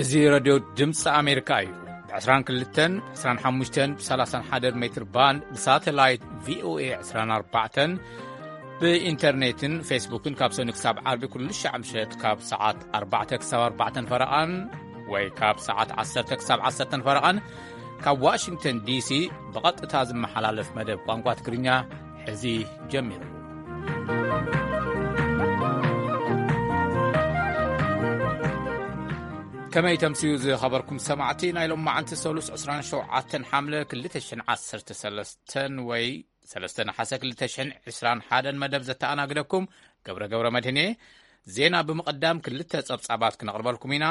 እዚ ረድዮ ድምፂ ኣሜሪካ እዩ። ብ22፣ ብ25፣ ብ31 ሜትር ባንድ፣ ብሳተላይት ቪ ኦ ኤ 24፣ ብኢንተርኔትን ፌስቡክን ካብ ሰኑይ ክሳብ ዓርቢ ኩሉ ሻዕ ምሸት ካብ ሰዓት ኣርባዕተ ክሳብ ኣርባዕተን ፈረቓን ወይ ካብ ሰዓት ዓሰርተ ክሳብ ዓሰርተን ፈረቓን ካብ ዋሽንግተን ዲ ሲ ብቐጥታ ዝመሓላለፍ መደብ ቋንቋ ትግርኛ ሕዚ ጀሚሩ። ከመይ ተምስዩ ዝኸበርኩም ሰማዕቲ፣ ናይ ሎም መዓንቲ ሰሉስ ዕስራን ሸውዓተን ሓምለ ክልተ ሽሕን ዓሰርተ ሰለስተን ወይ ሰለስተ ነሓሰ ክልተ ሽሕን ዕስራን ሓደን መደብ ዘተኣናግደኩም ገብረ ገብረ መድህን እየ። ዜና ብምቕዳም ክልተ ጸብጻባት ክነቕርበልኩም ኢና።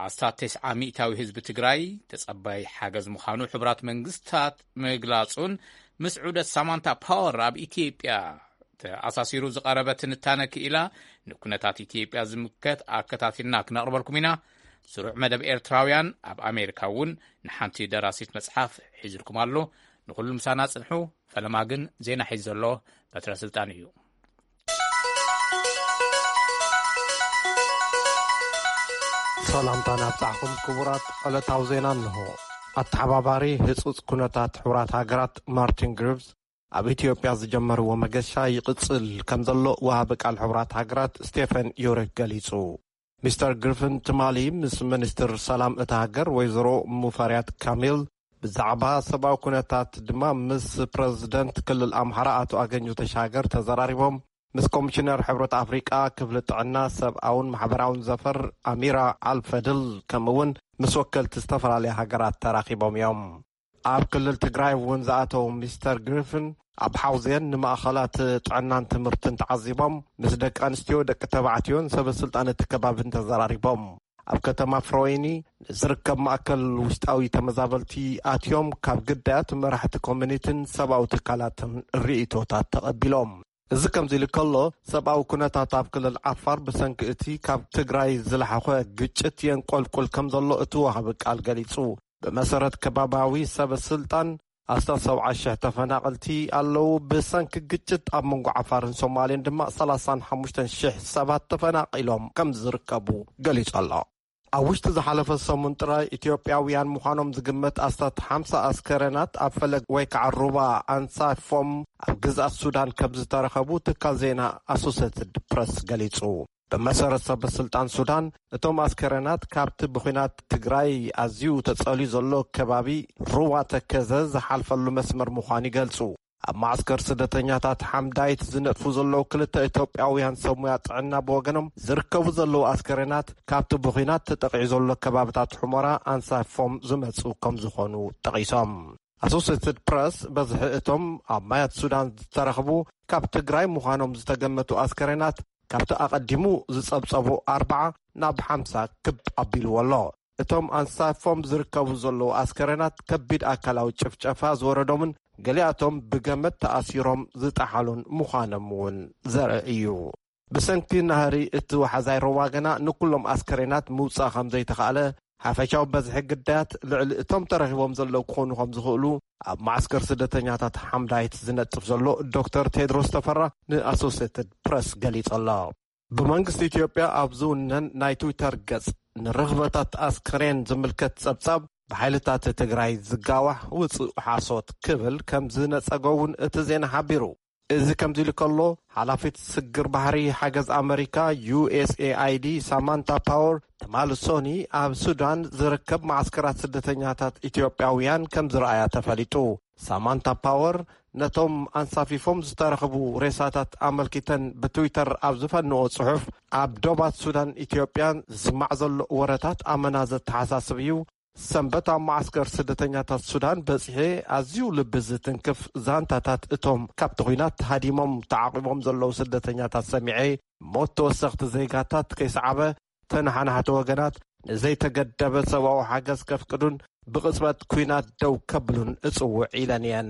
ኣስታት ተስዓ ሚእታዊ ህዝቢ ትግራይ ተጸባይ ሓገዝ ምዃኑ ሕቡራት መንግስታት ምግላጹን ምስ ዑደት ሳማንታ ፓወር ኣብ ኢትዮጵያ ተኣሳሲሩ ዝቐረበ ትንታነ ክኢላ ንኩነታት ኢትዮጵያ ዝምልከት ኣከታቲልና ክነቕርበልኩም ኢና። ስሩዕ መደብ ኤርትራውያን ኣብ ኣሜሪካ እውን ንሓንቲ ደራሲት መጽሓፍ ሒዝልኩም ኣሎ። ንኹሉ ምሳና ጽንሑ። ፈለማ ግን ዜና ሒዙ ዘሎ በትረ ስልጣን እዩ። ሰላምታ ናብጻሕኩም ክቡራት። ዕለታዊ ዜና እንሆ። ኣተሓባባሪ ህጹጽ ኩነታት ሕቡራት ሃገራት ማርቲን ግሪቭስ ኣብ ኢትዮጵያ ዝጀመርዎ መገሻ ይቕጽል ከም ዘሎ ወሃቢ ቃል ሕቡራት ሃገራት ስቴፈን ዩሪክ ገሊጹ። ሚስተር ግሪፍን ትማሊ ምስ ሚኒስትር ሰላም እታ ሃገር ወይዘሮ ሙፈሪያት ካሚል፣ ብዛዕባ ሰብኣዊ ኩነታት ድማ ምስ ፕረዚደንት ክልል ኣምሓራ ኣቶ ኣገኘሁ ተሻገር ተዘራሪቦም። ምስ ኮሚሽነር ሕብረት ኣፍሪቃ ክፍሊ ጥዕና ሰብኣውን ማሕበራውን ዘፈር ኣሚራ ኣልፈድል፣ ከምኡ እውን ምስ ወከልቲ ዝተፈላለያ ሃገራት ተራኺቦም እዮም። ኣብ ክልል ትግራይ እውን ዝኣተው ሚስተር ግሪፍን ኣብ ሓውዜን ንማእኸላት ጥዕናን ትምህርትን ተዓዚቦም፣ ምስ ደቂ ኣንስትዮ፣ ደቂ ተባዕትዮን ሰበ ስልጣን እቲ ከባብን ተዘራሪቦም። ኣብ ከተማ ፍሮይኒ ንዝርከብ ማእከል ውሽጣዊ ተመዛበልቲ ኣትዮም፣ ካብ ግዳያት መራሕቲ ኮሚኒቲን ሰብኣዊ ትካላትን ርእይቶታት ተቐቢሎም። እዚ ከምዚ ኢሉ ከሎ፣ ሰብኣዊ ኩነታት ኣብ ክልል ዓፋር ብሰንኪ እቲ ካብ ትግራይ ዝለሓኾ ግጭት የንቆልቁል ከም ዘሎ እቲ ወሃቢ ቃል ገሊጹ። ብመሰረት ከባባዊ ሰበ ስልጣን፣ ኣስታት ሰብዓ ሽሕ ተፈናቐልቲ ኣለዉ። ብሰንኪ ግጭት ኣብ መንጎ ዓፋርን ሶማሌን ድማ ሰላሳን ሓሙሽተን ሽሕ ሰባት ተፈናቒሎም ከም ዝርከቡ ገሊጹ ኣሎ። ኣብ ውሽጢ ዝሓለፈ ሰሙን ጥራይ ኢትዮጵያውያን ምዃኖም ዝግመት ኣስታት ሓምሳ ኣስከረናት ኣብ ፈለግ ወይ ከዓ ሩባ ኣንሳፎም ኣብ ግዝኣት ሱዳን ከም ዝተረኸቡ ትካል ዜና ኣሶሴትድ ፕረስ ገሊጹ። ብመሰረት ሰበ ስልጣን ሱዳን፣ እቶም ኣስከረናት ካብቲ ብኹናት ትግራይ ኣዝዩ ተጸልዩ ዘሎ ከባቢ ሩባ ተከዘ ዝሓልፈሉ መስመር ምዃኑ ይገልጹ። ኣብ ማዕስከር ስደተኛታት ሓምዳይት ዝነጥፉ ዘለዉ ክልተ ኢትዮጵያውያን ሰብ ሞያ ጥዕና ብወገኖም፣ ዝርከቡ ዘለዉ ኣስከሬናት ካብቲ ብኹናት ተጠቒዑ ዘሎ ከባብታት ሑመራ ኣንሳፎም ዝመጹ ከም ዝኾኑ ጠቒሶም። ኣሶሴትድ ፕረስ፣ በዝሒ እቶም ኣብ ማያት ሱዳን ዝተረኽቡ ካብ ትግራይ ምዃኖም ዝተገመቱ ኣስከሬናት ካብቲ ኣቐዲሙ ዝጸብጸቡ ኣርብዓ ናብ ሓምሳ ክብ ኣቢልዎ ኣሎ። እቶም ኣንሳፎም ዝርከቡ ዘለዉ ኣስከሬናት ከቢድ ኣካላዊ ጭፍጨፋ ዝወረዶምን ገሊኣቶም ብገመድ ተኣሲሮም ዝጠሓሉን ምዃኖም እውን ዘርኢ እዩ። ብሰንኪ ናህሪ እቲ ወሓዛይ ሩባ ግና ንኩሎም ኣስከሬናት ምውጻእ ከም ዘይተኻእለ፣ ሓፈሻዊ በዝሒ ግዳያት ልዕሊ እቶም ተረኺቦም ዘለዉ ክኾኑ ከም ዝኽእሉ ኣብ ማዕስከር ስደተኛታት ሓምዳይት ዝነጥፍ ዘሎ ዶክተር ቴድሮስ ተፈራ ንኣሶሴትድ ፕረስ ገሊጹ ኣሎ። ብመንግስቲ ኢትዮጵያ ኣብ ዝውነን ናይ ትዊተር ገጽ፣ ንርኽበታት ኣስከሬን ዝምልከት ጸብጻብ ብሓይልታት ትግራይ ዝጋዋሕ ውጹእ ሓሶት ክብል ከም ዝነጸጎ እውን እቲ ዜና ሓቢሩ። እዚ ከምዚ ኢሉ ከሎ፣ ሓላፊት ስግር ባሕሪ ሓገዝ ኣመሪካ፣ ዩ ኤስ ኤ ኣይ ዲ፣ ሳማንታ ፓወር፣ ትማሊ ሶኒ ኣብ ሱዳን ዝርከብ መዓስከራት ስደተኛታት ኢትዮጵያውያን ከም ዝረኣያ ተፈሊጡ። ሳማንታ ፓወር ነቶም ኣንሳፊፎም ዝተረኽቡ ሬሳታት ኣመልኪተን ብትዊተር ኣብ ዝፈንዎ ጽሑፍ፣ ኣብ ዶባት ሱዳን ኢትዮጵያን ዝስማዕ ዘሎ ወረታት ኣመና ዘተሓሳስብ እዩ። ሰንበት ኣብ መዓስከር ስደተኛታት ሱዳን በጺሐ፣ ኣዝዩ ልቢ ዝትንክፍ ዛንታታት እቶም ካብቲ ኲናት ሃዲሞም ተዓቒቦም ዘለዉ ስደተኛታት ሰሚዐ፣ ሞት ተወሰኽቲ ዜጋታት ከይሰዓበ፣ ተነሓናሕቲ ወገናት ንዘይተገደበ ሰብኣዊ ሓገዝ ከፍቅዱን ብቕጽበት ኲናት ደው ከብሉን እጽውዕ ኢለን እየን።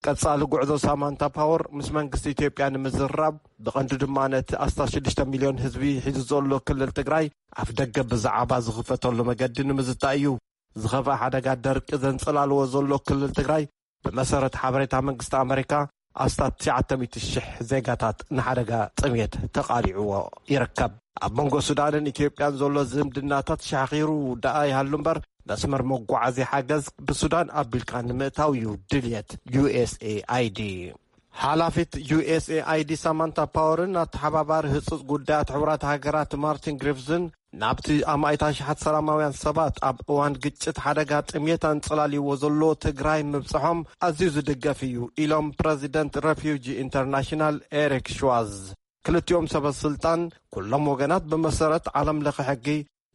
ቀጻሊ ጉዕዞ ሳማንታ ፓወር ምስ መንግስቲ ኢትዮጵያ ንምዝራብ፣ ብቐንዱ ድማ ነቲ ኣስታት ሽዱሽተ ሚልዮን ህዝቢ ሒዙ ዘሎ ክልል ትግራይ ኣፍ ደገ ብዛዕባ ዝኽፈተሉ መገዲ ንምዝታይ እዩ። ዝኸፍኣ ሓደጋ ደርቂ ዘንጸላልዎ ዘሎ ክልል ትግራይ፣ ብመሰረት ሓበሬታ መንግስቲ ኣመሪካ፣ ኣስታት ትሽዓተ ሚእቲ ሽሕ ዜጋታት ንሓደጋ ጥሜት ተቓሊዕዎ ይርከብ። ኣብ መንጎ ሱዳንን ኢትዮጵያን ዘሎ ዝምድናታት ሻኺሩ ደኣ ይሃሉ እምበር፣ መስመር መጓዓዝያ ሓገዝ ብሱዳን ኣቢልካ ንምእታው እዩ ድልየት ዩ ኤስ ኤ ኣይ ዲ። ሓላፊት ዩ ኤስ ኤ ኣይ ዲ ሳማንታ ፓወርን ኣተሓባባሪ ህጹጽ ጉዳያት ሕቡራት ሃገራት ማርቲን ግሪፍዝን ናብቲ ኣማኢት ኣሽሓት ሰላማውያን ሰባት ኣብ እዋን ግጭት ሓደጋ ጥሜት ኣንጸላልይዎ ዘሎ ትግራይ ምብጽሖም ኣዝዩ ዝድገፍ እዩ ኢሎም ፕረዚደንት ረፊውጂ ኢንተርናሽናል ኤሪክ ሽዋዝ። ክልቲኦም ሰበ ስልጣን ኩሎም ወገናት ብመሰረት ዓለም ለኸ ሕጊ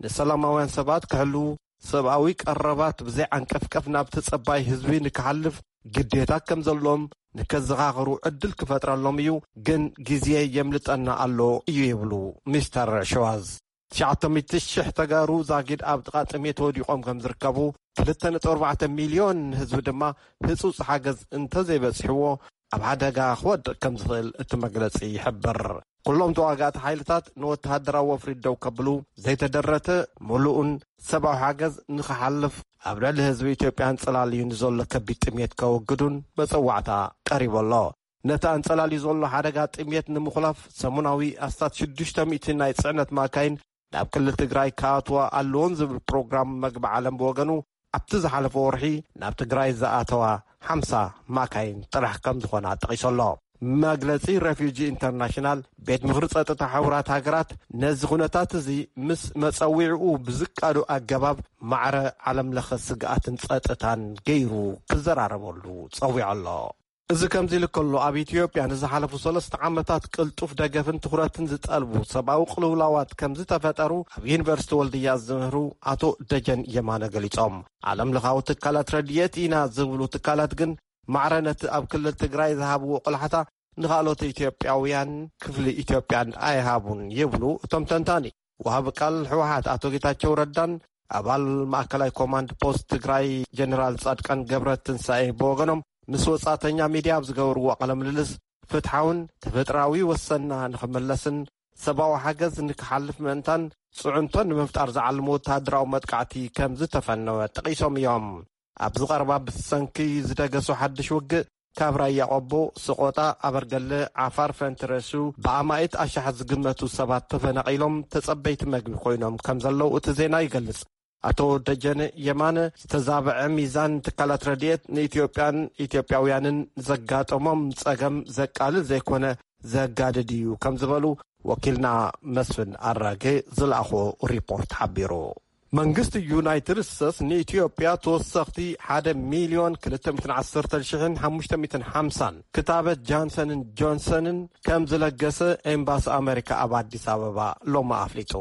ንሰላማውያን ሰባት ክሕልዉ፣ ሰብኣዊ ቀረባት ብዘይ ዓንቀፍቀፍ ናብቲ ጸባይ ህዝቢ ንክሓልፍ ግዴታ ከም ዘለዎም ንከዘኻኽሩ ዕድል ክፈጥረሎም እዩ፣ ግን ግዜ የምልጠና ኣሎ እዩ ይብሉ ሚስተር ሸዋዝ። ትሽዓተ ሚእቲ ሽሕ ተጋሩ ዛጊድ ኣብ ጥቓ ጥሜት ወዲቖም ከም ዝርከቡ፣ ክልተ ነጥቢ ኣርባዕተ ሚልዮን ህዝቢ ድማ ህጹጽ ሓገዝ እንተዘይበጽሕዎ ኣብ ሓደጋ ክወድቕ ከም ዝኽእል እቲ መግለጺ ይሕብር። ኩሎም ተዋጋእቲ ሓይልታት ንወተሃደራዊ ወፍሪ ደው ከብሉ፣ ዘይተደረተ ምሉእን ሰብኣዊ ሓገዝ ንኽሓልፍ፣ ኣብ ልዕሊ ህዝቢ ኢትዮጵያ ኣንጸላልዩ ንዘሎ ከቢድ ጥሜት ከወግዱን መጸዋዕታ ቀሪቡ ኣሎ። ነቲ ኣንጸላልዩ ዘሎ ሓደጋ ጥሜት ንምኹላፍ ሰሙናዊ ኣስታት ሽዱሽተ ሚእቲ ናይ ጽዕነት ማካይን ናብ ክልል ትግራይ ክኣትዋ ኣለዎን ዝብል ፕሮግራም መግቢ ዓለም ብወገኑ፣ ኣብቲ ዝሓለፈ ወርሒ ናብ ትግራይ ዝኣተዋ ሓምሳ ማካይን ጥራሕ ከም ዝኾና ጠቒሱ ኣሎ። መግለጺ ሬፊጂ ኢንተርናሽናል፣ ቤት ምኽሪ ጸጥታ ሕቡራት ሃገራት ነዚ ኩነታት እዚ ምስ መጸዊዕኡ ብዝቃዶ ኣገባብ ማዕረ ዓለም ለኸ ስግኣትን ጸጥታን ገይሩ ክዘራረበሉ ጸዊዑ ኣሎ። እዚ ከምዚ ኢሉ ከሎ፣ ኣብ ኢትዮጵያ ንዝሓለፉ ሰለስተ ዓመታት ቅልጡፍ ደገፍን ትኹረትን ዝጠልቡ ሰብኣዊ ቅልውላዋት ከም ዝተፈጠሩ ኣብ ዩኒቨርሲቲ ወልድያ ዝምህሩ ኣቶ ደጀን የማነ ገሊጾም። ዓለም ለኻዊ ትካላት ረድኤት ኢና ዝብሉ ትካላት ግን ማዕረ ነቲ ኣብ ክልል ትግራይ ዝሃብዎ ቆላሕታ ንኻልኦት ኢትዮጵያውያን ክፍሊ ኢትዮጵያን ኣይሃቡን ይብሉ እቶም ተንታኒ። ወሃቢ ቃል ህወሓት ኣቶ ጌታቸው ረዳን ኣባል ማእከላይ ኮማንድ ፖስት ትግራይ ጀነራል ጻድቃን ገብረ ትንሳኤ ብወገኖም ምስ ወጻእተኛ ሚድያ ኣብ ዝገበርዎ ቃለ ምልልስ፣ ፍትሓውን ተፈጥራዊ ወሰንና ንኽመለስን ሰብኣዊ ሓገዝ ንክሓልፍ ምእንታን ጽዕንቶ ንምፍጣር ዝዓለመ ወተሃደራዊ መጥቃዕቲ ከም ዝተፈነወ ጠቒሶም እዮም። ኣብዚ ቀረባ ብሰንኪ ዝደገሶ ሓድሽ ውግእ ካብ ራያ ቆቦ፣ ሰቆጣ፣ ኣበርገለ፣ ዓፋር ፈንትረሱ ብኣማኢት ኣሽሓት ዝግመቱ ሰባት ተፈናቒሎም ተጸበይቲ መግቢ ኮይኖም ከም ዘለዉ እቲ ዜና ይገልጽ። ኣቶ ደጀነ የማነ ዝተዛብዐ ሚዛን ትካላት ረድኤት ንኢትዮጵያን ኢትዮጵያውያንን ዘጋጠሞም ጸገም ዘቃልል ዘይኮነ ዘጋድድ እዩ ከም ዝበሉ ወኪልና መስፍን ኣራጌ ዝለኣኾ ሪፖርት ሓቢሩ። መንግስቲ ዩናይትድ ስቴትስ ንኢትዮጵያ ተወሰኽቲ ሓደ ሚልዮን ክልተ ሚእትን ዓሰርተ ሽሕን ሓሙሽተ ሚእትን ሓምሳን ክታበት ጃንሰንን ጆንሰንን ከም ዝለገሰ ኤምባሲ ኣሜሪካ ኣብ ኣዲስ ኣበባ ሎሚ ኣፍሊጡ።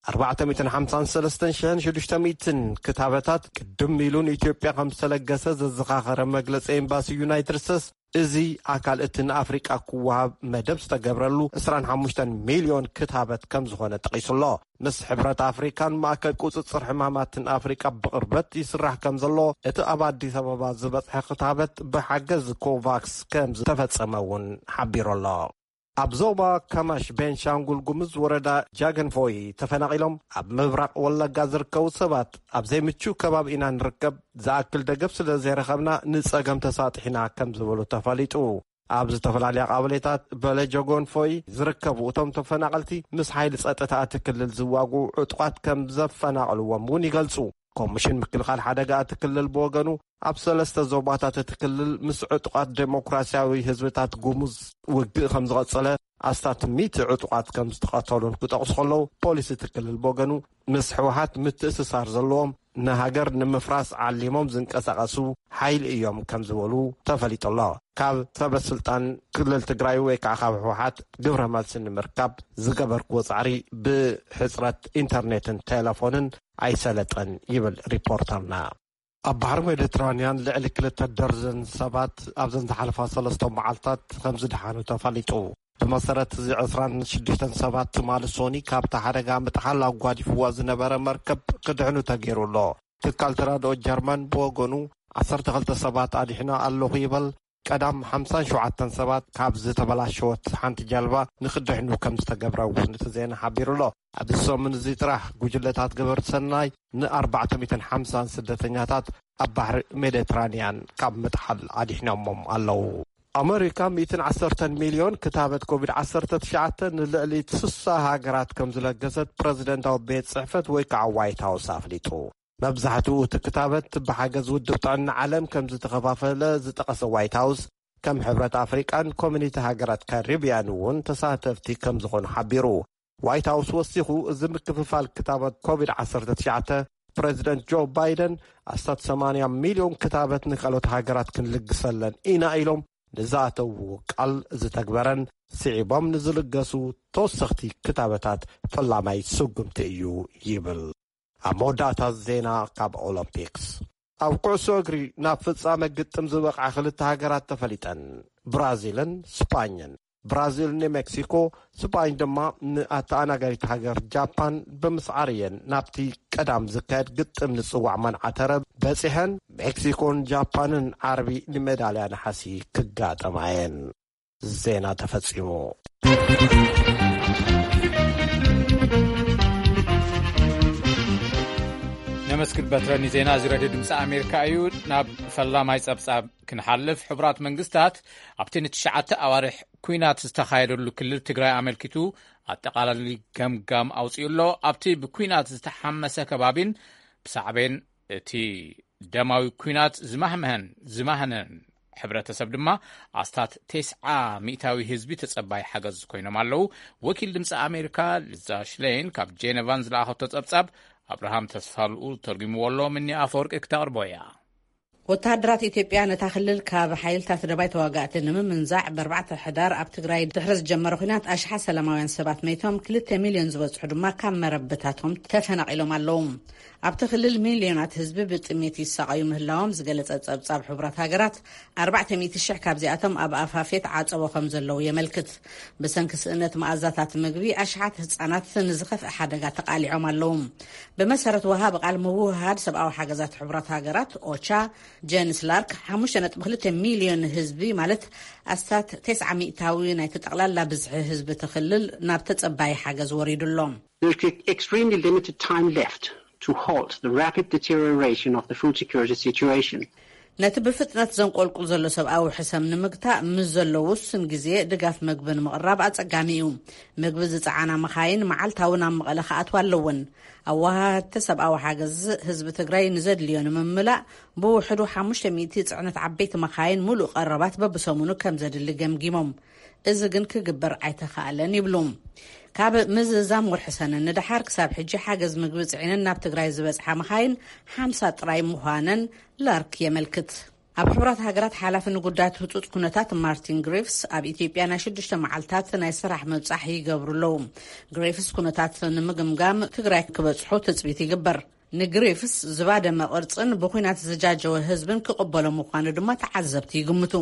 ኣርባዕተ ሚእትን ሓምሳን ሰለስተን ሽሕን ሽዱሽተ ሚእትን ክታበታት ቅድም ኢሉ ንኢትዮጵያ ከም ዝተለገሰ ዘዘኻኸረ መግለጺ ኤምባሲ ዩናይትድ ስቴትስ፣ እዚ ኣካል እቲ ንኣፍሪቃ ክወሃብ መደብ ዝተገብረሉ ዕስራን ሓሙሽተን ሚልዮን ክታበት ከም ዝኾነ ጠቒሱ ኣሎ። ምስ ሕብረት ኣፍሪካን ማእከል ቁጽጽር ሕማማትን ኣፍሪቃ ብቕርበት ይስራሕ ከም ዘሎ፣ እቲ ኣብ ኣዲስ ኣበባ ዝበጽሐ ክታበት ብሓገዝ ኮቫክስ ከም ዝተፈጸመ እውን ሓቢሩ ኣሎ። ኣብ ዞባ ካማሽ ቤንሻንጉል ጉሙዝ ወረዳ ጃገንፎይ ተፈናቒሎም ኣብ ምብራቕ ወለጋ ዝርከቡ ሰባት ኣብ ዘይምቹእ ከባቢ ኢና ንርከብ፣ ዝኣክል ደገፍ ስለ ዘይረኸብና ንጸገም ተሳጢሕና ከም ዝበሉ ተፈሊጡ። ኣብ ዝተፈላለያ ቀበሌታት በለጆ ጎንፎይ ዝርከቡ እቶም ተፈናቐልቲ ምስ ሓይሊ ጸጥታ እቲ ክልል ዝዋግኡ ዕጡቓት ከም ዘፈናቐልዎም እውን ይገልጹ። ኮሚሽን ምክልኻል ሓደጋ እቲ ክልል ብወገኑ ኣብ ሰለስተ ዞባታት እቲ ክልል ምስ ዕጡቓት ዴሞክራሲያዊ ህዝብታት ጉሙዝ ውግእ ከም ዝቐጸለ ኣስታት ሚእቲ ዕጡቓት ከም ዝተቐተሉን ክጠቕሱ ከለዉ፣ ፖሊስ እቲ ክልል ብወገኑ ምስ ህወሓት ምትእስሳር ዘለዎም ንሃገር ንምፍራስ ዓሊሞም ዝንቀሳቐሱ ሓይሊ እዮም ከም ዝበሉ ተፈሊጡ ኣሎ። ካብ ሰበ ስልጣን ክልል ትግራይ ወይ ከዓ ካብ ህወሓት ግብረ መልሲ ንምርካብ ዝገበርክዎ ጻዕሪ ብሕጽረት ኢንተርኔትን ቴሌፎንን ኣይሰለጠን ይብል ሪፖርተርና። ኣብ ባሕሪ ሜዲትራንያን ልዕሊ ክልተ ደርዘን ሰባት ኣብዘን ዝሓለፋ ሰለስተ መዓልታት ከም ዝደሓኑ ተፈሊጡ። ብመሰረት እዚ ዕስራን ሽዱሽተን ሰባት ትማሊ ሶኒ ካብቲ ሓደጋ ምጥሓል ኣጓዲፍዋ ዝነበረ መርከብ ክድሕኑ ተገይሩ ኣሎ። ትካል ተራድኦ ጀርመን ብወገኑ ዓሰርተ ክልተ ሰባት ኣድሒነ ኣለኹ ይበል። ቀዳም ሓምሳን ሸውዓተን ሰባት ካብ ዝተበላሸወት ሓንቲ ጃልባ ንክድሕኑ ከም ዝተገብረ እውን እቲ ዜና ሓቢሩ ኣሎ። ኣብዚ ሰሙን እዚ ጥራሕ ጉጅለታት ገበርቲ ሰናይ ንኣርባዕተ ሚእትን ሓምሳን ስደተኛታት ኣብ ባሕሪ ሜዲትራንያን ካብ ምጥሓል ኣድሒኖሞም ኣለዉ። ኣመሪካ ሚእትን ዓሰርተን ሚልዮን ክታበት ኮቪድ ዓሰርተ ትሽዓተ ንልዕሊ ስሳ ሃገራት ከም ዝለገሰት ፕረዚደንታዊ ቤት ጽሕፈት ወይ ከዓ ዋይት ሃውስ ኣፍሊጡ። መብዛሕትኡ እቲ ክታበት ብሓገዝ ውድብ ጥዕና ዓለም ከም ዝተኸፋፈለ ዝጠቐሰ ዋይት ሃውስ፣ ከም ሕብረት ኣፍሪቃን ኮሚኒቲ ሃገራት ካሪብያን እውን ተሳተፍቲ ከም ዝኾኑ ሓቢሩ። ዋይት ሃውስ ወሲኹ፣ እዚ ምክፍፋል ክታበት ኮቪድ ዓሰርተ ትሽዓተ፣ ፕረዚደንት ጆ ባይደን ኣስታት ሰማንያ ሚልዮን ክታበት ንካልኦት ሃገራት ክንልግሰለን ኢና ኢሎም ንዝኣተውዎ ቃል ዝተግበረን ስዒቦም ንዝልገሱ ተወሰኽቲ ክታበታት ፈላማይ ስጉምቲ እዩ ይብል። ኣብ መወዳእታ ዜና ካብ ኦሎምፒክስ። ኣብ ኩዕሶ እግሪ ናብ ፍጻመ ግጥም ዝበቕዓ ክልተ ሃገራት ተፈሊጠን፣ ብራዚልን ስጳኝን። ብራዚል ንሜክሲኮ፣ ስጳኝ ድማ ንኣተኣናጋዲት ሃገር ጃፓን ብምስዓር እየን ናብቲ ቀዳም ዝካየድ ግጥም ንጽዋዕ ማንዓ ተረብ በጺሐን። ሜክሲኮን ጃፓንን ዓርቢ ንሜዳልያ ነሓሲ ክጋጠማ እየን። ዜና ተፈጺሙ። ነመስግን በትረ ንዜና እዚ ሬድዮ ድምፂ ኣሜሪካ እዩ። ናብ ፈላማይ ጸብጻብ ክንሓልፍ፣ ሕቡራት መንግስታት ኣብቲ ንትሽዓተ ኣዋርሕ ኲናት ዝተኻየደሉ ክልል ትግራይ ኣመልኪቱ ኣጠቓላሊ ገምጋም ኣውፂኡ ኣሎ። ኣብቲ ብኲናት ዝተሓመሰ ከባቢን ብሳዕቤን እቲ ደማዊ ኲናት ዝማህመሀን ዝማህነን ሕብረተሰብ ድማ ኣስታት ተስዓ ሚእታዊ ህዝቢ ተጸባይ ሓገዝ ኮይኖም ኣለዉ። ወኪል ድምፂ ኣሜሪካ ሊዛ ሽሌን ካብ ጄነቫን ዝለኣኸቶ ጸብጻብ ኣብርሃም ተስፋልኡ ተርጉምዎ ኣሎ። ምኒ ኣፈወርቂ ክተቕርቦ እያ። ወተሃደራት ኢትዮጵያ ነታ ክልል ካብ ሓይልታት ደባይ ተዋጋእቲ ንምምንዛዕ ብኣርባዕተ ሕዳር ኣብ ትግራይ ድሕሪ ዝጀመረ ኲናት ኣሽሓት ሰላማውያን ሰባት መይቶም፣ ክልተ ሚልዮን ዝበጽሑ ድማ ካብ መረብታቶም ተፈናቒሎም ኣለዉ። ኣብቲ ክልል ሚልዮናት ህዝቢ ብጥሜት ይሳቐዩ ምህላዎም ዝገለጸ ጸብጻብ ሕቡራት ሃገራት፣ ኣርባዕተ ሚእቲ ሽሕ ካብዚኣቶም ኣብ ኣፋፌት ዓጸቦ ከም ዘለዉ የመልክት። ብሰንኪ ስእነት መኣዛታት ምግቢ ኣሽሓት ህጻናት ንዝኸፍአ ሓደጋ ተቓሊዖም ኣለዉ። ብመሰረት ወሃቢ ቃል ምውህሃድ ሰብኣዊ ሓገዛት ሕቡራት ሃገራት ኦቻ፣ ጀንስ ላርክ፣ ሓሙሽተ ነጥቢ ክልተ ሚልዮን ህዝቢ ማለት ኣስታት ተስዓ ሚእታዊ ናይቲ ጠቕላላ ብዝሒ ህዝቢ እቲ ክልል ናብ ተጸባይ ሓገዝ ወሪዱ ኣሎ። There's extremely limited time left to halt the rapid deterioration of the food security situation. ነቲ ብፍጥነት ዘንቆልቁል ዘሎ ሰብኣዊ ሕሰም ንምግታእ ምስ ዘሎ ውሱን ግዜ ድጋፍ መግቢ ንምቕራብ ኣጸጋሚ እዩ። መግቢ ዝጸዓና መኻይን መዓልታዊ ናብ መቐለ ክኣትዋ ኣለወን። ኣወሃህድቲ ሰብኣዊ ሓገዝ ህዝቢ ትግራይ ንዘድልዮ ንምምላእ ብውሕዱ ሓሙሽተ ሚእቲ ጽዕነት ዓበይቲ መኻይን ሙሉእ ቀረባት በብሰሙኑ ከም ዘድሊ ገምጊሞም። እዚ ግን ክግበር ኣይተኻእለን ይብሉ። ካብ ምዝዛም ወርሒ ሰነ ንደሓር ክሳብ ሕጂ ሓገዝ ምግቢ ጽዒነን ናብ ትግራይ ዝበጽሓ መኻይን ሓምሳ ጥራይ ምዃነን ላርክ የመልክት። ኣብ ሕቡራት ሃገራት ሓላፊ ንጉዳያት ህጹጽ ኩነታት ማርቲን ግሪፍስ ኣብ ኢትዮጵያ ናይ ሽዱሽተ መዓልታት ናይ ስራሕ ምብጻሕ ይገብሩ ኣለዉ። ግሪፍስ ኩነታት ንምግምጋም ትግራይ ክበጽሑ ትጽቢት ይግበር። ንግሪፍስ ዝባደመ ቅርጽን ብኹናት ዝጃጀወ ህዝብን ክቕበሎ ምዃኑ ድማ ተዓዘብቲ ይግምቱ።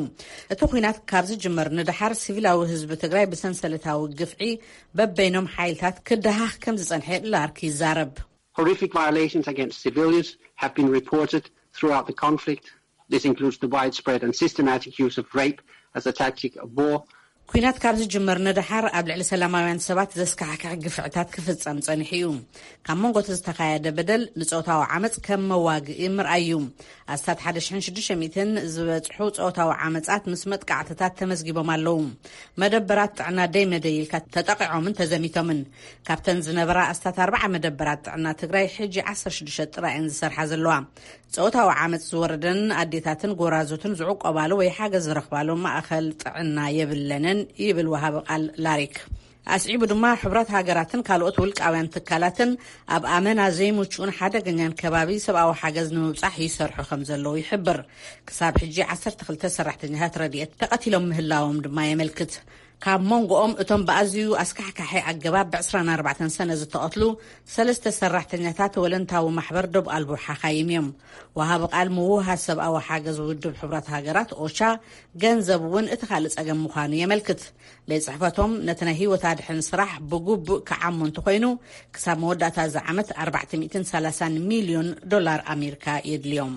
እቲ ኹናት ካብ ዝጅመር ንደሓር ሲቪላዊ ህዝቢ ትግራይ ብሰንሰለታዊ ግፍዒ በበይኖም ሓይልታት ክደሃኽ ከም ዝጸንሐ ላርክ ይዛረብ። Horrific violations against civilians have been reported throughout the conflict. This includes the widespread and systematic use of rape as a tactic of war. ኲናት ካብ ዝጅመር ንደሓር ኣብ ልዕሊ ሰላማውያን ሰባት ዘስካሕክሕ ግፍዕታት ክፍጸም ጸኒሑ እዩ። ካብ መንጎ እቲ ዝተኻየደ በደል ንጾታዊ ዓመጽ ከም መዋግኢ ምርኣይ እዩ። ኣስታት ሓደ ሽሕን ሽዱሽተ ሚእትን ዝበጽሑ ጾታዊ ዓመጻት ምስ መጥቃዕትታት ተመዝጊቦም ኣለዉ። መደበራት ጥዕና ደይ መደይ ኢልካ ተጠቒዖምን ተዘሚቶምን። ካብተን ዝነበራ ኣስታት ኣርባዓ መደበራት ጥዕና ትግራይ ሕጂ ዓሰርተ ሽዱሽተ ጥራይ እየን ዝሰርሓ ዘለዋ። ጾታዊ ዓመጽ ዝወረደን ኣዴታትን ጎራዙትን ዝዕቆባሉ ወይ ሓገዝ ዝረኽባሉ ማእኸል ጥዕና የብለንን ይብል ወሃቢ ቃል ላሪክ። ኣስዒቡ ድማ ሕቡራት ሃገራትን ካልኦት ውልቃውያን ትካላትን ኣብ ኣመና ዘይምቹእን ሓደገኛን ከባቢ ሰብኣዊ ሓገዝ ንምብጻሕ ይሰርሑ ከም ዘለዉ ይሕብር። ክሳብ ሕጂ ዓሰርተ ክልተ ሰራሕተኛታት ረድኤት ተቐቲሎም ምህላዎም ድማ የመልክት። ካብ መንጎኦም እቶም ብኣዝዩ ኣስካሕካሒ ኣገባብ ብዕስራን ኣርባዕተን ሰነ ዝተቐትሉ ሰለስተ ሰራሕተኛታት ወለንታዊ ማሕበር ዶብ ኣልቦ ሓኻይም እዮም። ወሃቢ ቃል ምውሃድ ሰብኣዊ ሓገዝ ውድብ ሕቡራት ሃገራት ኦቻ ገንዘብ እውን እቲ ካልእ ጸገም ምዃኑ የመልክት። ቤት ጽሕፈቶም ነቲ ናይ ህይወት ኣድሕን ስራሕ ብግቡእ ክዓሞ እንተኾይኑ ክሳብ መወዳእታ እዚ ዓመት ኣርባዕተ ሚእትን ሰላሳን ሚልዮን ዶላር ኣሜሪካ የድልዮም።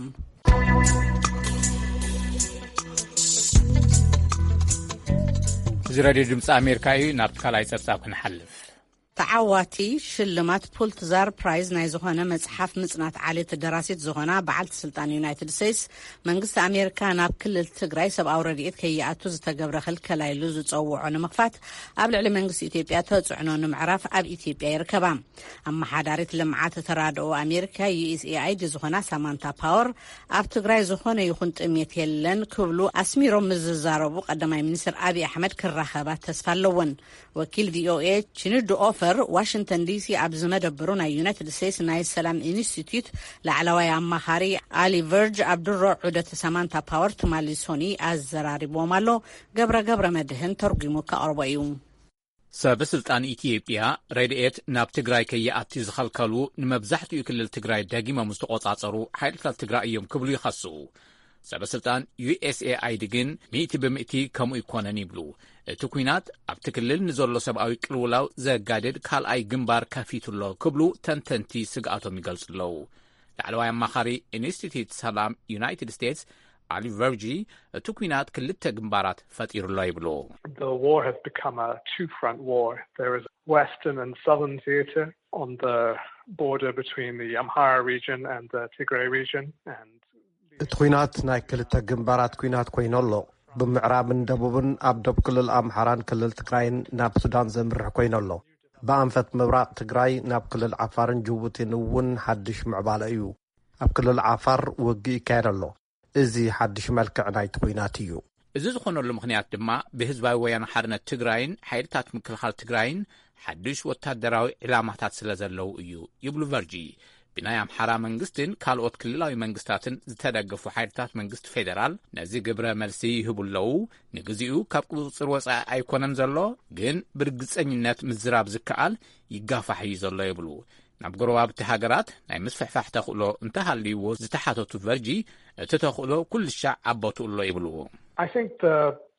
እዚ ሬድዮ ድምፂ ኣሜሪካ እዩ። ናብቲ ካልኣይ ፀብፃብ ክንሓልፍ። ተዓዋቲ ሽልማት ፑልትዛር ፕራይዝ ናይ ዝኾነ መጽሓፍ ምጽናት ዓሌት ደራሲት ዝኾና በዓልቲ ስልጣን ዩናይትድ ስቴትስ፣ መንግስቲ ኣሜሪካ ናብ ክልል ትግራይ ሰብኣዊ ረድኤት ከይኣቱ ዝተገብረ ክልከላ ኢሉ ዝጸውዖ ንምኽፋት፣ ኣብ ልዕሊ መንግስቲ ኢትዮጵያ ተጽዕኖ ንምዕራፍ ኣብ ኢትዮጵያ ይርከባ። ኣመሓዳሪት ልምዓት ተራድኦ ኣሜሪካ፣ ዩ ኤስ ኤ ኣይ ዲ፣ ዝኾና ሳማንታ ፓወር፣ ኣብ ትግራይ ዝኾነ ይኹን ጥሜት የለን ክብሉ ኣስሚሮም ምስ ዝዛረቡ፣ ቀዳማይ ሚኒስትር ኣብይ ኣሕመድ ክራኸባ ተስፋ ኣለወን። ወኪል ቪ ኦ ኤ ቺኑዱ ኦፈር፣ ዋሽንግተን ዲ ሲ ኣብ ዝመደብሩ ናይ ዩናይትድ ስቴትስ ናይ ሰላም ኢንስቲትዩት ላዕለዋይ ኣማኻሪ ኣሊ ቨርጅ ኣብ ድሮ ዑደት ሳማንታ ፓወር ትማሊ ሶኒ ኣዘራሪብዎም ኣሎ። ገብረ ገብረ መድህን ተርጒሙ ከቕርቦ እዩ። ሰበ ስልጣን ኢትዮጵያ ረድኤት ናብ ትግራይ ከይኣቲ ዝኸልከሉ ንመብዛሕትኡ ክልል ትግራይ ደጊሞም ዝተቖጻጸሩ ሓይልታት ትግራይ እዮም ክብሉ ይኸሱ። ሰበ ስልጣን ዩ ኤስ ኤ ኣይ ዲ ግን ሚእቲ ብምእቲ ከምኡ ይኮነን ይብሉ። እቲ ኲናት ኣብቲ ክልል ንዘሎ ሰብኣዊ ቅልውላው ዘጋድድ ካልኣይ ግንባር ከፊቱ ኣሎ ክብሉ ተንተንቲ ስግኣቶም ይገልጹ ኣለዉ። ላዕለዋይ ኣማኻሪ ኢንስቲትዩት ሰላም ዩናይትድ ስቴትስ ኣሊ ቨርጂ፣ እቲ ኲናት ክልተ ግንባራት ፈጢሩ ኣሎ ይብሉ። The war has become a two-front war. There is Western and Southern theater on the border between the Amhara region and the Tigray region, and እቲ ኲናት ናይ ክልተ ግንባራት ኲናት ኮይኑ ኣሎ። ብምዕራብን ደቡብን ኣብ ደቡብ ክልል ኣምሓራን ክልል ትግራይን ናብ ሱዳን ዘምርሕ ኮይኑ ኣሎ። ብኣንፈት ምብራቕ ትግራይ ናብ ክልል ዓፋርን ጅቡቲን እውን ሓድሽ ምዕባለ እዩ። ኣብ ክልል ዓፋር ውግእ ይካየድ ኣሎ። እዚ ሓድሽ መልክዕ ናይቲ ኲናት እዩ። እዚ ዝኾነሉ ምኽንያት ድማ ብህዝባዊ ወያነ ሓርነት ትግራይን ሓይልታት ምክልኻል ትግራይን ሓድሽ ወታደራዊ ዕላማታት ስለ ዘለዉ እዩ ይብሉ ቨርጂ። ብናይ ኣምሓራ መንግስትን ካልኦት ክልላዊ መንግስታትን ዝተደገፉ ሓይልታት መንግስቲ ፌደራል ነዚ ግብረ መልሲ ይህቡ ኣለዉ። ንግዚኡ ካብ ቁፅፅር ወፃኢ ኣይኮነን ዘሎ፣ ግን ብርግፀኝነት ምዝራብ ዝከኣል ይጋፋሕ እዩ ዘሎ ይብሉ። ናብ ጎረባብቲ ሃገራት ናይ ምስፍሕፋሕ ተኽእሎ እንተሃልይዎ ዝተሓተቱ ቨርጂ፣ እቲ ተኽእሎ ኩሉ ሻዕ ኣቦትኡ ኣሎ ይብሉ። I think the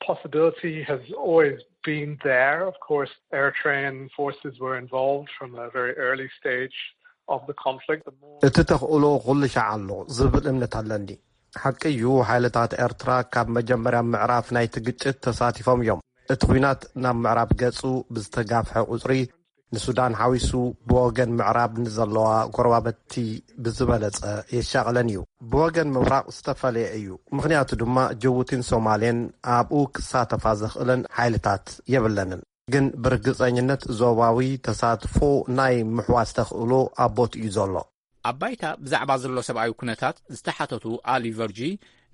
possibility has always been there. Of course, Eritrean forces were involved from a very early stage of the conflict. The more እቲ ተኽእሎ ኩሉ ሻዕ ኣሎ ዝብል እምነት ኣለኒ። ሓቂ እዩ፣ ሓይልታት ኤርትራ ካብ መጀመርያ ምዕራፍ ናይቲ ግጭት ተሳቲፎም እዮም። እቲ ኲናት ናብ ምዕራብ ገጹ ብዝተጋፍሐ ቁጽሪ፣ ንሱዳን ሓዊሱ ብወገን ምዕራብ ንዘለዋ ጎረባብቲ ብዝበለጸ የሻቕለን እዩ። ብወገን ምብራቕ ዝተፈለየ እዩ። ምኽንያቱ ድማ ጅቡቲን ሶማሌን ኣብኡ ክሳተፋ ዘኽእለን ሓይልታት የብለንን። ግን ብርግጸኝነት ዞባዊ ተሳትፎ ናይ ምሕዋስ ተኽእሎ ኣብ ቦትኡ እዩ ዘሎ። ኣብ ባይታ ብዛዕባ ዘሎ ሰብኣዊ ኩነታት ዝተሓተቱ ኣሊ ቨርጂ፣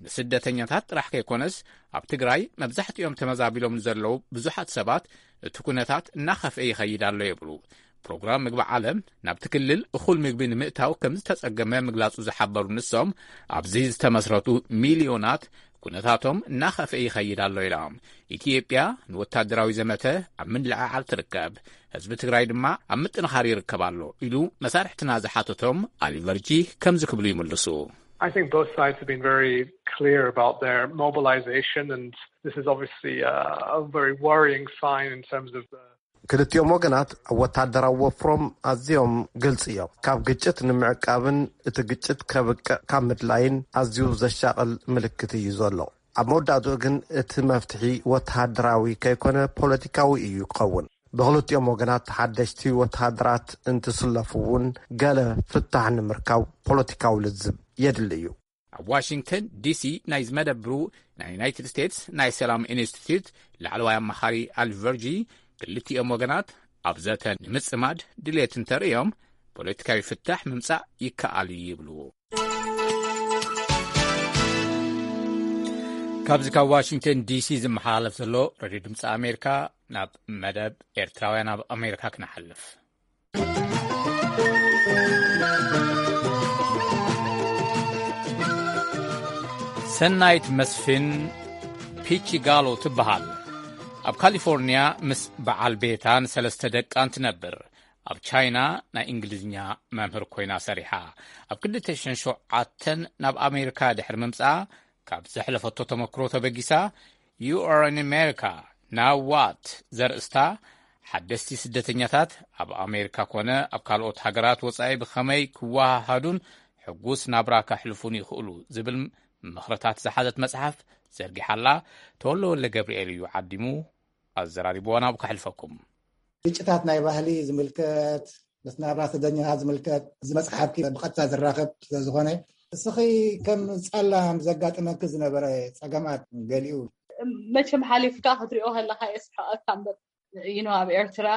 ንስደተኛታት ጥራሕ ከይኮነስ ኣብ ትግራይ መብዛሕትኦም ተመዛቢሎም ንዘለዉ ብዙሓት ሰባት እቲ ኩነታት እናኸፍአ ይኸይድ ኣሎ ይብሉ። ፕሮግራም ምግቢ ዓለም ናብቲ ክልል እኹል ምግቢ ንምእታው ከም ዝተጸገመ ምግላጹ ዝሓበሩ ንሶም፣ ኣብዚ ዝተመስረቱ ሚልዮናት ኩነታቶም እናኸፍአ ይኸይድ ኣሎ ኢሎም። ኢትዮጵያ ንወታደራዊ ዘመተ ኣብ ምልዕዓል ትርከብ፣ ህዝቢ ትግራይ ድማ ኣብ ምጥንኻር ይርከብ ኣሎ ኢሉ መሳርሕትና ዝሓተቶም ኣሊ ቨርጂ ከምዚ ክብሉ ይምልሱ። I think both sides have been very clear about their mobilization, and this is obviously a, a very worrying sign in terms of the ክልቲኦም ወገናት ወታደራዊ ወፍሮም ኣዝዮም ግልጺ እዮም። ካብ ግጭት ንምዕቃብን እቲ ግጭት ከብቅዕ ካብ ምድላይን ኣዝዩ ዘሻቕል ምልክት እዩ ዘሎ። ኣብ መወዳእትኡ ግን እቲ መፍትሒ ወተሃደራዊ ከይኮነ ፖለቲካዊ እዩ ክኸውን። ብኽልቲኦም ወገናት ሓደሽቲ ወተሃደራት እንትስለፉ እውን ገለ ፍታሕ ንምርካብ ፖለቲካዊ ልዝብ የድሊ እዩ። ኣብ ዋሽንግተን ዲሲ ናይ ዝመደብሩ ናይ ዩናይትድ ስቴትስ ናይ ሰላም ኢንስቲትዩት ላዕለዋይ ኣማኻሪ ኣል ቨርጂ፣ ክልቲኦም ወገናት ኣብ ዘተ ንምጽማድ ድሌት እንተርእዮም ፖለቲካዊ ፍታሕ ምምጻእ ይከኣል እዩ ይብሉ። ካብዚ ካብ ዋሽንግተን ዲሲ ዝመሓላለፍ ዘሎ ሬድዮ ድምፂ ኣሜሪካ፣ ናብ መደብ ኤርትራውያን ኣብ ኣሜሪካ ክነሓልፍ። ሰናይት መስፍን ፒቺጋሎ ትበሃል። ኣብ ካሊፎርንያ ምስ በዓል ቤታን ሰለስተ ደቃን ትነብር። ኣብ ቻይና ናይ እንግሊዝኛ መምህር ኮይና ሰሪሓ። ኣብ ክልተ ሽሕን ሸውዓተን ናብ ኣሜሪካ ድሕሪ ምምጻኣ፣ ካብ ዘሕለፈቶ ተመክሮ ተበጊሳ፣ You are in America, now what? ዘርእስታ፣ ሓደስቲ ስደተኛታት ኣብ ኣሜሪካ ኮነ ኣብ ካልኦት ሃገራት ወጻኢ ብኸመይ ክወሃሃዱን ሕጉስ ናብራ ከሕልፉን ይኽእሉ ዝብል ምኽርታት ዝሓዘት መጽሓፍ ዘርጊሓላ። ተወልደ ወልደ ገብርኤል እዩ ዓዲሙ ኣዘራሪብዋ፣ ናብኡ ከሕልፈኩም። ግጭታት ናይ ባህሊ ዝምልከት፣ ምስ ናብራ ስደተኛታት ዝምልከት፣ እዚ መጽሓፍኪ ብቐጥታ ዝራኸብ ስለ ዝኾነ፣ እስኺ ከም ጸላም ዘጋጥመኪ ዝነበረ ጸገማት ገሊኡ። መቸም ሓሊፍካ ክትሪኦ ከለካ የስሕቐካ እምበር፣ you know፣ ኣብ ኤርትራ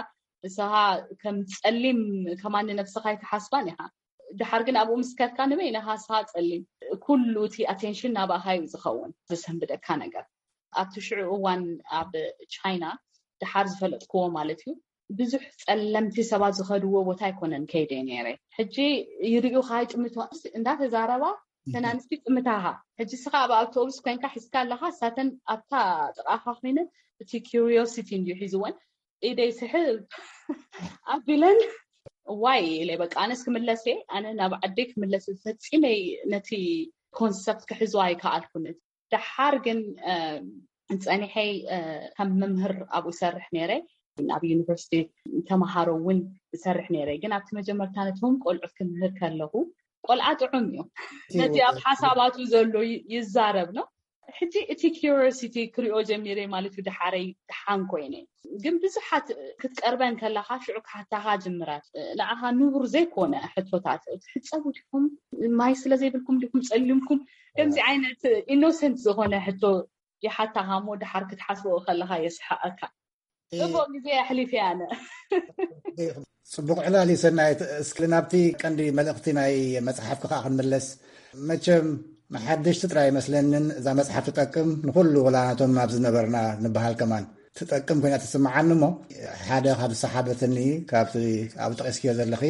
ንስኻ ከም ጸሊም ከማን ንነብስኻ ኣይትሓስባን ኢኻ። ድሓር ግን ኣብኡ ምስ ከድካ ንበይንኻ ንስኻ ጸሊም፣ ኩሉ እቲ ኣቴንሽን ናባኻ እዩ ዝኸውን፣ ዘሰንብደካ ነገር። ኣብቲ ሽዑ እዋን ኣብ ቻይና ድሓር ዝፈለጥክዎ ማለት እዩ፣ ብዙሕ ጸለምቲ ሰባት ዝኸድዎ ቦታ ኣይኮነን ከይደ ነይረ። ሕጂ ይርእዩኻ ይጥምቱ እንዳተዛረባ ተናንስቲ ጥምታኻ። ሕጂ ስኻ ኣብ ኣውቶቡስ ኮንካ ሒዝካ ኣለኻ፣ እሳተን ኣብታ ጥቓኻ ኮይነ እቲ ኪሪዮሲቲ እንዲዩ ሒዝወን ኢደይ ስሕብ ኣቢለን ዋይ ኢለ በቃ ኣነስ ክምለስ እየ፣ ኣነ ናብ ዓደይ ክምለስ ፈጺመይ ነቲ ኮንሰፕት ክሕዞ ኣይከኣልኩን። ደሓር ግን ጸኒሐይ ከም መምህር ኣብኡ ይሰርሕ ነይረ፣ ኣብ ዩኒቨርሲቲ ተምሃሮ እውን ይሰርሕ ነይረ። ግን ኣብቲ መጀመርታ ነቶም ቆልዑት ክምህር ከለኹ ቆልዓ ጥዑም እዩ፣ ነቲ ኣብ ሓሳባቱ ዘሎ ይዛረብ ነው። ሕጂ እቲ ኪሪዮሲቲ ክሪኦ ጀሚረ ማለት እዩ። ደሓረይ ደሓን ኮይነ ግን ብዙሓት ክትቀርበን ከለኻ ሽዑ ክሓታኻ ጅምራት ንዓኻ ንቡር ዘይኮነ ሕቶታት ትሕፀቡ ዲኹም፣ ማይ ስለ ዘይብልኩም ዲኹም ፀሊምኩም፣ ከምዚ ዓይነት ኢኖሰንት ዝኾነ ሕቶ ይሓታኻ እሞ ደሓር ክትሓስቦ ከለኻ የስሓቐካ። ጽቡቕ ግዜ ኣሕሊፈ ኣነ። ጽቡቕ ዕላል እዩ ሰናይት። እስኪ ናብቲ ቀንዲ መልእኽቲ ናይ መጽሓፍኪ ከኣ ክንምለስ። መቸም ንሓደሽቲ ጥራይ ኣይመስለንን እዛ መጽሓፍ ትጠቅም፣ ንኹሉ ወላ ናቶም ኣብ ዝነበርና ንበሃል ከማን ትጠቅም ኮይና ትስምዓኒ። እሞ ሓደ ካብ ዝሰሓበትኒ ካብቲ ኣብ ጠቂስክዮ ዘለኺ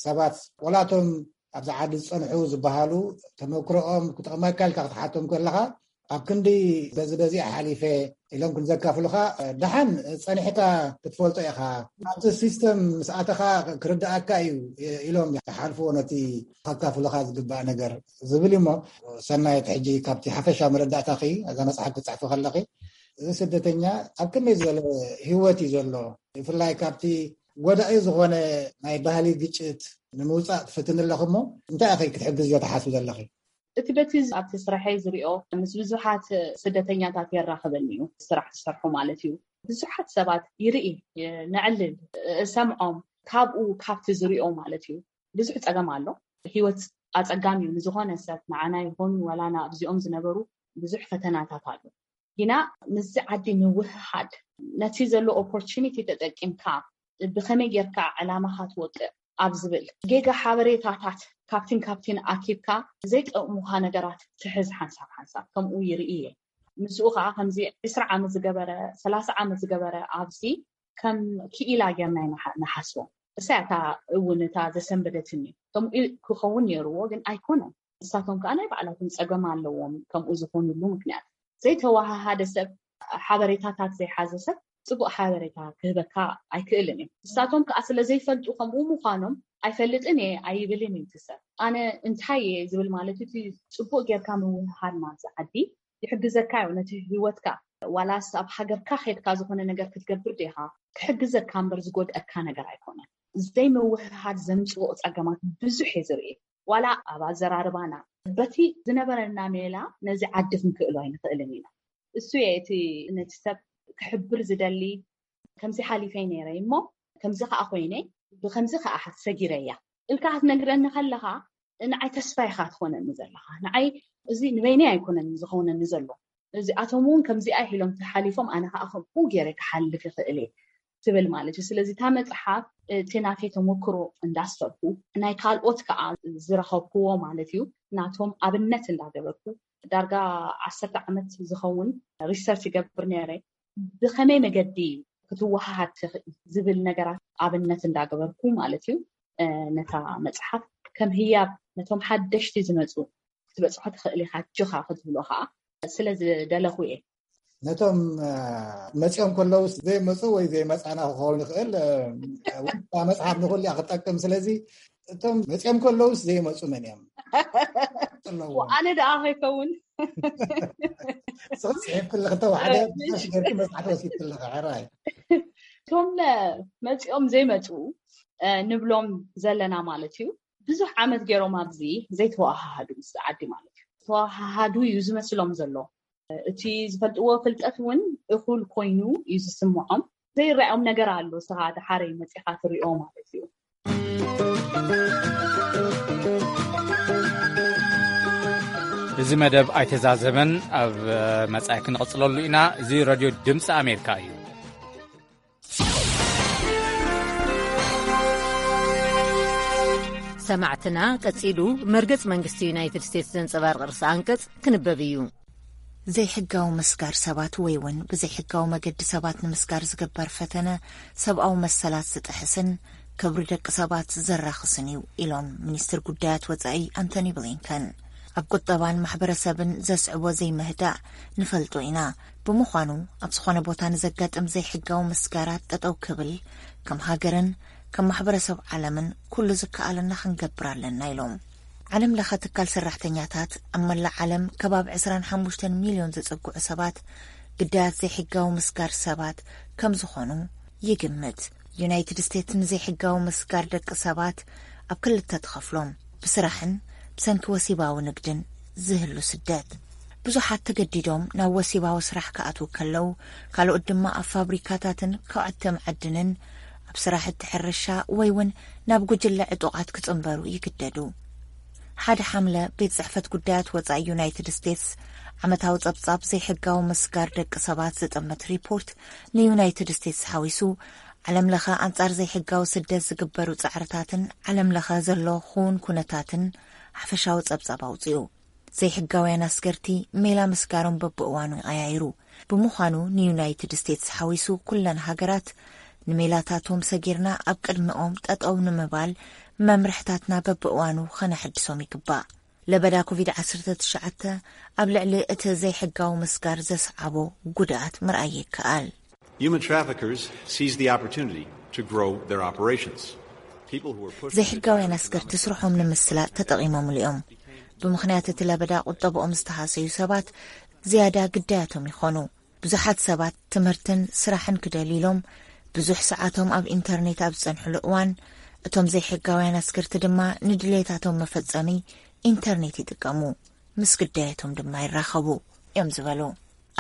ሰባት ወላቶም ኣብዚ ዓዲ ዝጸንሑ ዝበሃሉ ተመክሮኦም ክጠቕመካ ኢልካ ክትሓቶም ከለኻ ኣብ ክንዲ በዚ በዚ ሓሊፈ ኢሎም ክንዘካፍሉኻ ደሓን ጸኒሕካ ክትፈልጦ ኢኻ። ኣብቲ ሲስተም ምስ ኣተኻ ክርድኣካ እዩ ኢሎም ይሓልፍዎ ነቲ ከካፍሉኻ ዝግባእ ነገር ዝብል እሞ ሰናይት ሕጂ ካብቲ ሓፈሻ መረዳእታኺ እዛ መጽሓፍ ክትጽሕፊ ከለኺ እዚ ስደተኛ ኣብ ከመይ ዝበለ ህይወት እዩ ዘሎ ብፍላይ ካብቲ ጎዳኢ ዝኾነ ናይ ባህሊ ግጭት ንምውፃእ ትፍትን ኣለኹ እሞ እንታይ ኢኺ ክትሕግዝዮ ትሓስቢ ዘለኺ? እቲ በቲ ኣብቲ ስራሐይ ዝሪኦ ምስ ብዙሓት ስደተኛታት የራኽበኒ እዩ። ስራሕ ዝሰርሑ ማለት እዩ። ብዙሓት ሰባት ይርኢ፣ ነዕልል፣ እሰምዖም ካብኡ ካብቲ ዝሪኦ ማለት እዩ። ብዙሕ ፀገም ኣሎ። ህይወት ኣፀጋሚ እዩ ንዝኾነ ሰብ፣ ንዓና ይኹን ዋላ ኣብዚኦም ዝነበሩ ብዙሕ ፈተናታት ኣሎ። ግና ምስዚ ዓዲ ምውህሃድ ነቲ ዘሎ ኦፖርቹኒቲ ተጠቂምካ ብኸመይ ጌርካ ዕላማኻ ትወቅዕ ኣብ ዝብል ጌጋ ሓበሬታታት ካብቲን ካብቲን ኣኪብካ ዘይጠቕሙኻ ነገራት ትሕዝ ሓንሳብ ሓንሳብ ከምኡ ይርኢ እየ። ምስኡ ከዓ ከምዚ ዕስራ ዓመት ዝገበረ ሰላሳ ዓመት ዝገበረ ኣብዚ ከም ክኢላ ጌርና ንሓስቦ። እሳያ እታ እውን እታ ዘሰንበደትኒ ከምኡ ክኸውን ነይርዎ ግን ኣይኮነን። ንሳቶም ከዓ ናይ ባዕላቶም ፀገም ኣለዎም ከምኡ ዝኾኑሉ ምክንያት። ዘይተወሃሃደ ሰብ ሓበሬታታት ዘይሓዘ ሰብ ፅቡቅ ሓበሬታ ክህበካ ኣይክእልን እዩ። ንሳቶም ከዓ ስለ ዘይፈልጡ ከምኡ ምዃኖም ኣይፈልጥን እየ ኣይብልን እዩ እቲ ሰብ። ኣነ እንታይ እየ ዝብል ማለት እቲ ፅቡቅ ጌርካ ምውህሃድ ናብዚ ዓዲ ይሕግዘካ እዩ ነቲ ህይወትካ። ዋላስ ኣብ ሃገርካ ከድካ ዝኾነ ነገር ክትገብር ዲኻ ክሕግዘካ እምበር ዝጎድኣካ ነገር ኣይኮነን። ዘይምውህሃድ ዘምፅኦ ፀገማት ብዙሕ እየ ዝርኢ። ዋላ ኣብ ኣዘራርባና በቲ ዝነበረና ሜላ ነዚ ዓዲ ክንክእሎ ኣይንኽእልን ኢና። እሱ እየ እቲ ነቲ ሰብ ክሕብር ዝደሊ። ከምዚ ሓሊፈይ ነይረ እሞ ከምዚ ከዓ ኮይነ ብከምዚ ከዓ ሰጊረያ ኢልካ ክትነግረኒ ከለካ ንዓይ ተስፋ ኢኻ ትኾነኒ ዘለኻ። ንዓይ እዚ ንበይነይ ኣይኮነን ዝኸውነኒ ዘሎ። እዚኣቶም እውን ከምዚኣ ኢሎም ተሓሊፎም ኣነ ከዓ ከምኡ ገይረ ክሓልፍ ይኽእል እየ ትብል ማለት እዩ። ስለዚ እታ መፅሓፍ እቲ ናተይ ተመክሮ እንዳስፈርኩ ናይ ካልኦት ከዓ ዝረኸብክዎ ማለት እዩ ናቶም ኣብነት እንዳገበርኩ ዳርጋ ዓሰርተ ዓመት ዝኸውን ሪሰርች ይገብር ነይረ። ብኸመይ መገዲ ክትወሃሃድ ትኽእል ዝብል ነገራት ኣብነት እንዳገበርኩ ማለት እዩ። ነታ መፅሓፍ ከም ህያብ ነቶም ሓደሽቲ ዝመፁ ክትበፅሖ ትኽእል ኢኻ ጅኻ ክትብሎ ከዓ ስለ ዝደለኹ እየ። ነቶም መፂኦም ከለውስ ዘይመፁ ወይ ዘይመፃና ክኸውን ይኽእል። መፅሓፍ ንኩሉ ክትጠቅም ስለዚ እቶም መፂኦም ከለውስ ዘይመፁ መን እዮም? ኣነ ደኣ ከይከውን ጽሕፍቲ ኣለኺ ተባሓደ ሽገርኪ መጽሓፍ ወሲድቲ ኣለኺ ሕራይ። እቶም መፂኦም ዘይመፁ ንብሎም ዘለና ማለት እዩ። ብዙሕ ዓመት ገይሮም ኣብዚ ዘይተወሃሃዱ ምስ ዓዲ ማለት እዩ። ተወሃሃዱ እዩ ዝመስሎም ዘሎ። እቲ ዝፈልጥዎ ፍልጠት እውን እኹል ኮይኑ እዩ ዝስምዖም። ዘይረኣዮም ነገር ኣሎ፣ ስኻ ደሓረይ መጺኻ ትሪኦ ማለት እዩ። እዚ መደብ ኣይተዛዘመን፣ ኣብ መጻኢ ክንቕጽለሉ ኢና። እዚ ሬድዮ ድምፂ ኣሜሪካ እዩ። ሰማዕትና፣ ቀጺሉ መርገጽ መንግስቲ ዩናይትድ ስቴትስ ዘንጸባርቕ ርእሰ ኣንቀጽ ክንበብ እዩ። ዘይሕጋዊ ምስጋር ሰባት ወይ እውን ብዘይሕጋዊ መገዲ ሰባት ንምስጋር ዝግበር ፈተነ ሰብኣዊ መሰላት ዝጥሕስን ክብሪ ደቂ ሰባት ዘራኽስን እዩ ኢሎም ሚኒስትር ጉዳያት ወጻኢ ኣንቶኒ ብሊንከን። ኣብ ቁጠባን ማሕበረሰብን ዘስዕቦ ዘይምህዳእ ንፈልጦ ኢና። ብምዃኑ ኣብ ዝኾነ ቦታ ንዘጋጥም ዘይሕጋዊ ምስጋራት ጠጠው ክብል ከም ሃገርን ከም ማሕበረሰብ ዓለምን ኩሉ ዝከኣለና ክንገብር ኣለና ኢሎም። ዓለም ለኸ ትካል ሰራሕተኛታት ኣብ መላእ ዓለም ከባቢ ዕስራን ሓሙሽተን ሚልዮን ዘጸግዑ ሰባት ግዳያት ዘይሕጋዊ ምስጋር ሰባት ከም ዝኾኑ ይግምት። ዩናይትድ ስቴትስ ንዘይሕጋዊ ምስጋር ደቂ ሰባት ኣብ ክልተ ትኸፍሎም፣ ብስራሕን ብሰንኪ ወሲባዊ ንግድን ዝህሉ ስደት። ብዙሓት ተገዲዶም ናብ ወሲባዊ ስራሕ ክኣትዉ ከለዉ፣ ካልኦት ድማ ኣብ ፋብሪካታትን ከዋዕቲ መዓድንን፣ ኣብ ስራሕቲ ሕርሻ ወይ እውን ናብ ጉጅለ ዕጡቓት ክጽንበሩ ይግደዱ። ሓደ ሓምለ ቤት ጽሕፈት ጉዳያት ወጻኢ ዩናይትድ ስቴትስ ዓመታዊ ጸብጻብ ዘይሕጋዊ ምስጋር ደቂ ሰባት ዝጥምት ሪፖርት ንዩናይትድ ስቴትስ ሓዊሱ ዓለም ለኸ ኣንጻር ዘይሕጋዊ ስደት ዝግበሩ ጻዕርታትን ዓለም ለኸ ዘሎ ክውን ኩነታትን ሓፈሻዊ ጸብጻብ ኣውጺኡ። ዘይሕጋውያን ኣስገርቲ ሜላ ምስጋሮም በብእዋኑ ይቐያይሩ። ብምዃኑ ንዩናይትድ ስቴትስ ሓዊሱ ኩለን ሃገራት ንሜላታቶም ሰጊርና ኣብ ቅድሚኦም ጠጠው ንምባል መምርሕታትና በብእዋኑ ኸነሐድሶም ይግባእ። ለበዳ ኮቪድ ዓሰርተ ትሽዓተ ኣብ ልዕሊ እቲ ዘይሕጋዊ ምስጋር ዘስዓቦ ጉድኣት ምርኣይ ይከኣል። Human traffickers seize the opportunity to grow their operations. People who are pushed into ዘይሕጋውያን ኣስገርቲ ስርሖም ንምስላጥ ተጠቒሞምሉ እዮም። ብምኽንያት እቲ ለበዳ ቁጠብኦም ዝተሃሰዩ ሰባት ዝያዳ ግዳያቶም ይኾኑ። ብዙሓት ሰባት ትምህርትን ስራሕን ክደልዩ ኢሎም ብዙሕ ሰዓቶም ኣብ ኢንተርኔት ኣብ ዝጸንሕሉ እዋን፣ እቶም ዘይሕጋውያን ኣስገርቲ ድማ ንድሌታቶም መፈጸሚ ኢንተርኔት ይጥቀሙ፣ ምስ ግዳያቶም ድማ ይራኸቡ እዮም ዝበሉ።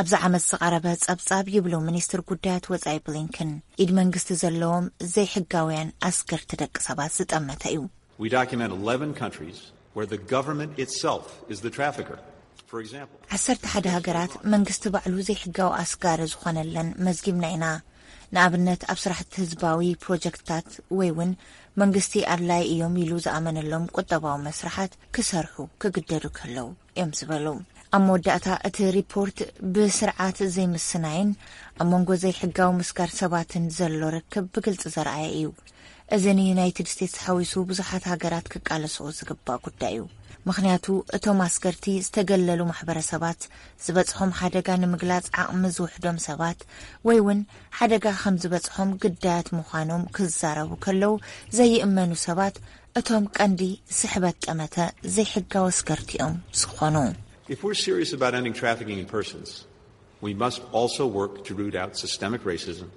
ኣብዚ ዓመት ዝቐረበ ጸብጻብ ይብሉ ሚኒስትር ጉዳያት ወጻኢ ብሊንከን፣ ኢድ መንግስቲ ዘለዎም ዘይሕጋውያን ኣስገርቲ ደቂ ሰባት ዝጠመተ እዩ። We document eleven countries where the government itself is the trafficker. For example, ዓሰርተ ሓደ ሃገራት መንግስቲ ባዕሉ ዘይሕጋዊ ኣስጋሪ ዝኾነለን መዝጊብና ኢና። ንኣብነት ኣብ ስራሕቲ ህዝባዊ ፕሮጀክትታት ወይ እውን መንግስቲ ኣድላይ እዮም ኢሉ ዝኣመነሎም ቁጠባዊ መስርሓት ክሰርሑ ክግደዱ ከለዉ እዮም ዝበሉ። ኣብ መወዳእታ እቲ ሪፖርት ብስርዓት ዘይምስናይን ኣብ መንጎ ዘይሕጋዊ ምስጋር ሰባትን ዘሎ ርክብ ብግልፂ ዘርኣየ እዩ። እዚ ንዩናይትድ ስቴትስ ሓዊሱ ብዙሓት ሃገራት ክቃለስኦ ዝግባእ ጉዳይ እዩ። ምኽንያቱ እቶም ኣስገርቲ ዝተገለሉ ማሕበረሰባት ዝበፅሖም ሓደጋ ንምግላፅ ዓቕሚ ዝውሕዶም ሰባት ወይ እውን ሓደጋ ከም ዝበፅሖም ግዳያት ምዃኖም ክዛረቡ ከለዉ ዘይእመኑ ሰባት እቶም ቀንዲ ስሕበት ጠመተ ዘይሕጋዊ ኣስገርቲ እዮም ዝኾኑ። If we're serious about ending trafficking in persons, we must also work to root out systemic racism,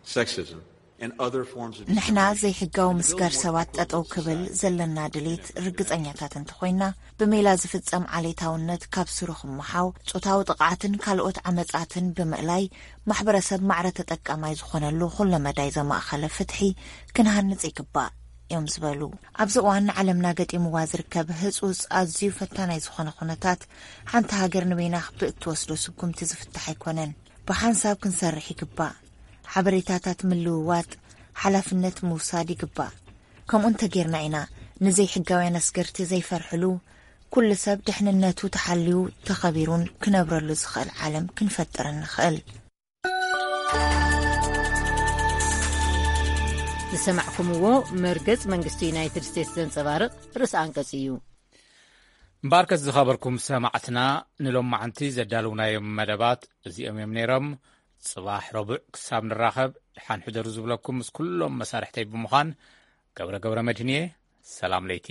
sexism, and other forms of ንሕና discrimination ዘይሕጋዊ in those ምስጋር more ሰባት ጠጠው ክብል ዘለና ድሌት ርግጸኛታት እንተኾይና፣ ብሜላ ዝፍጸም ዓሌታውነት ካብ ስሩ ክመሓው፣ ጾታዊ ጥቕዓትን ካልኦት ዓመጻትን ብምእላይ፣ ማሕበረሰብ ማዕረ ተጠቃማይ ዝኾነሉ ኩለመዳይ ዘማእኸለ ፍትሒ ክንሃንጽ ይግባእ እዮም ዝበሉ። ኣብዚ እዋን ንዓለምና ገጢምዋ ዝርከብ ህጹጽ ኣዝዩ ፈታናይ ዝኾነ ኩነታት፣ ሓንቲ ሃገር ንበይና ብእትወስዶ ስጉምቲ ዝፍታሕ ኣይኮነን። ብሓንሳብ ክንሰርሕ ይግባእ። ሓበሬታታት ምልውዋጥ፣ ሓላፍነት ምውሳድ ይግባእ። ከምኡ እንተጌርና ኢና ንዘይሕጋውያን ኣስገርቲ ዘይፈርሕሉ፣ ኩሉ ሰብ ድሕንነቱ ተሓልዩ ተኸቢሩን ክነብረሉ ዝኽእል ዓለም ክንፈጥር እንኽእል። ዝሰማዕኩምዎ መርገጽ መንግስቲ ዩናይትድ ስቴትስ ዘንጸባርቕ ርእሰ ኣንቀጽ እዩ። እምበኣርከስ ዝኸበርኩም ሰማዕትና፣ ንሎማዓንቲ ዘዳለውናዮም መደባት እዚኦም እዮም ነይሮም። ጽባሕ ረቡዕ ክሳብ ንራኸብ፣ ድሓን ሕደሩ ዝብለኩም ምስ ኩሎም መሳርሕተይ ብምዃን ገብረ ገብረ መድህን እየ። ሰላም ለይቲ።